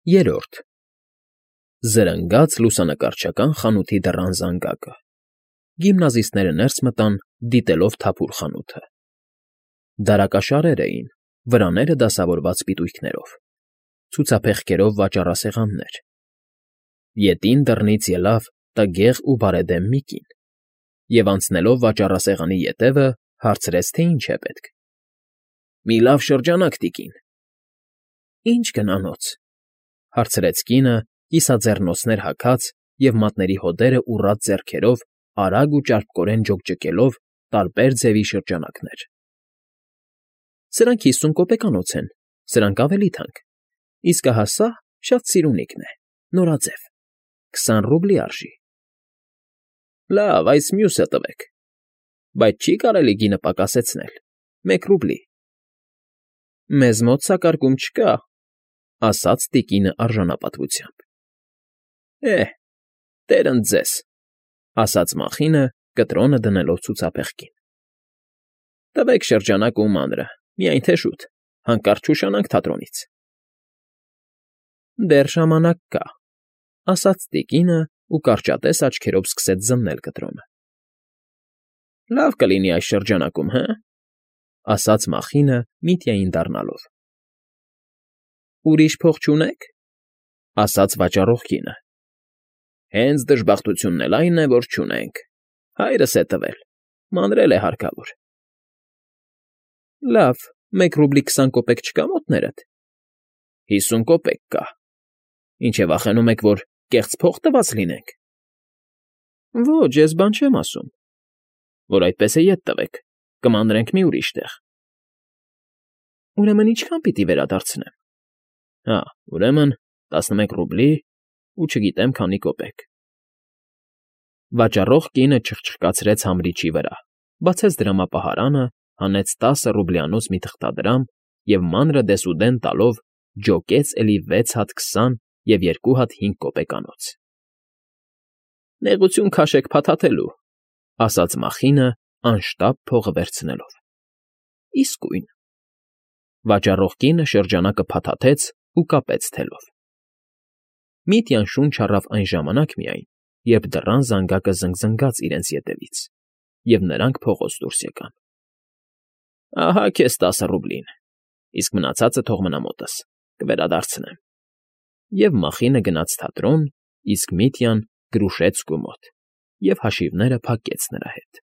Երրորդ Զրնգաց լուսանկարչական խանութի դռան զանգակը։ Գիմնազիստները ներս մտան, դիտելով թափուր խանութը։ Դարակաշարեր էին, վրաները դասավորված պիտույքներով, ցուցափեղկերով վաճառասեղաններ։ Ետին դռնից ելավ տգեղ ու բարեդեմ մի կին և, անցնելով վաճառասեղանի ետևը, հարցրեց, թե ինչ է պետք։ ֊ Մի լավ շրջանակ, տիկին։ ֊ Ի՞նչ գնանոց,֊ հարցրեց կինը, կիսաձեռնոցներ հագած և մատների հոդերը ուռած ձեռքերով արագ ու ճարպկորեն ջոկջկելով տարբեր ձևի շրջանակներ։ ֊ Սրանք 50 կոպեկանոց են, սրանք ավելի թանկ, իսկ ահա սա շատ սիրունիկն է, նորաձև, 20 ռուբլի արժի։ ֊ Լավ, այս մյուսը տվեք, բայց չի՞ կարելի գինը պակասեցնել, 1 ռուբլի։ ֊ Մեզ մոտ սա կարգում չկա,֊ ասաց տիկինը արժանապատվությամբ։ ֊ Տեր ընդ ձեզ,֊ ասաց Մախինը, կտրոնը դնելով ցուցափեղկին։ ֊ Տվեք շրջանակը ու մանրը, միայն թե շուտ, հանկարծ չուշանանք թատրոնից։ ֊ Դեռ ժամանակ կա,֊ ասաց տիկինը ու կարճատես աչքերով սկսեց զննել կտրոնը։ ֊ Լավ կլինի այս շրջանակում, հը՞, ասաց Մախինը Միտյային դառնալով։ ֊ Ուրիշ փող չունե՞ք,֊ ասաց վաճառող կինը։ ֊ Հենց դժբախտությունն էլ այն է, որ չունենք, հայրս է տվել, մանրել է հարկավոր։ ֊ Լավ, 1 ռուբլի 20 կոպեկ չկա մոտներդ։ ֊ 50 կոպեկ կա։ Ինչ է վախենում եք, որ կեղծ փող տված լինենք։ ֊ Ոչ, ես բան չեմ ասում։ ֊ Որ այդպես է, ետ տվեք, կմանրենք մի ուրիշ տեղ։ ֊ Ուրեմն ինչքան պիտի վերադարձնեմ։ ֊ Հա, ուրեմն 11 ռուբլի ու չգիտեմ քանի կոպեկ։ Վաճառող կինը չխչխկացրեց համրիչի վրա, բացեց դրամապահարանը, հանեց 10 ռուբլյանոց մի թղթադրամ և մանրը դեսուդեն տալով ջոկեց էլի 6 հատ 20 և 2 հատ 5 կոպեկանոց։ ֊ Նեղություն քաշեք փաթաթելու,֊ ասաց Մախինը, անշտապ փողը վերցնելով։ ֊ Իսկույն… Վաճառող կինը շրջանակը փաթաթեց ու կապեց թելով։ Միտյան շունչ առավ այն ժամանակ միայն, երբ դռան զանգակը զնգզնգաց իրենց ետևից, և նրանք փողոց դուրս եկան։ ֊ Ահա քեզ 10 ռուբլին, իսկ մնացածը թող մնա մոտս, կվերադարձնեմ։ Եվ Մախինը գնաց թատրոն, իսկ Միտյան՝ Գրուշեցկու մոտ և հաշիվները փակեց նրա հետ։